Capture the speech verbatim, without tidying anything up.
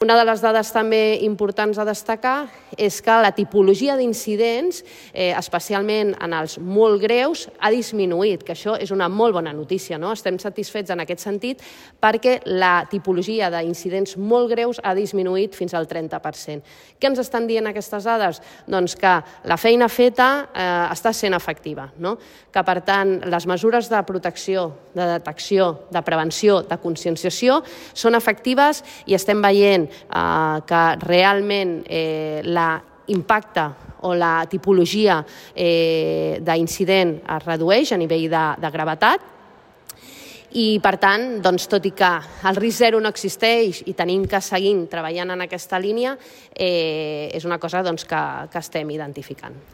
Una de les dades també importants a destacar és que la tipologia d'incidents, eh, especialment en els molt greus, ha disminuït, que això és una molt bona notícia, no? Estem satisfets en aquest sentit perquè la tipologia d'incidents molt greus ha disminuït fins al trenta per cent. Què ens estan dient aquestes dades? Doncs que la feina feta eh, està sent efectiva, no? Que, per tant, les mesures de protecció, de detecció, de prevenció, de conscienciació són efectives i estem veient que realment l'impacte o la tipologia d'incident es redueix a nivell de gravetat i, per tant, tot i que el risc zero no existeix i tenim que seguir treballant en aquesta línia, és una cosa que estem identificant.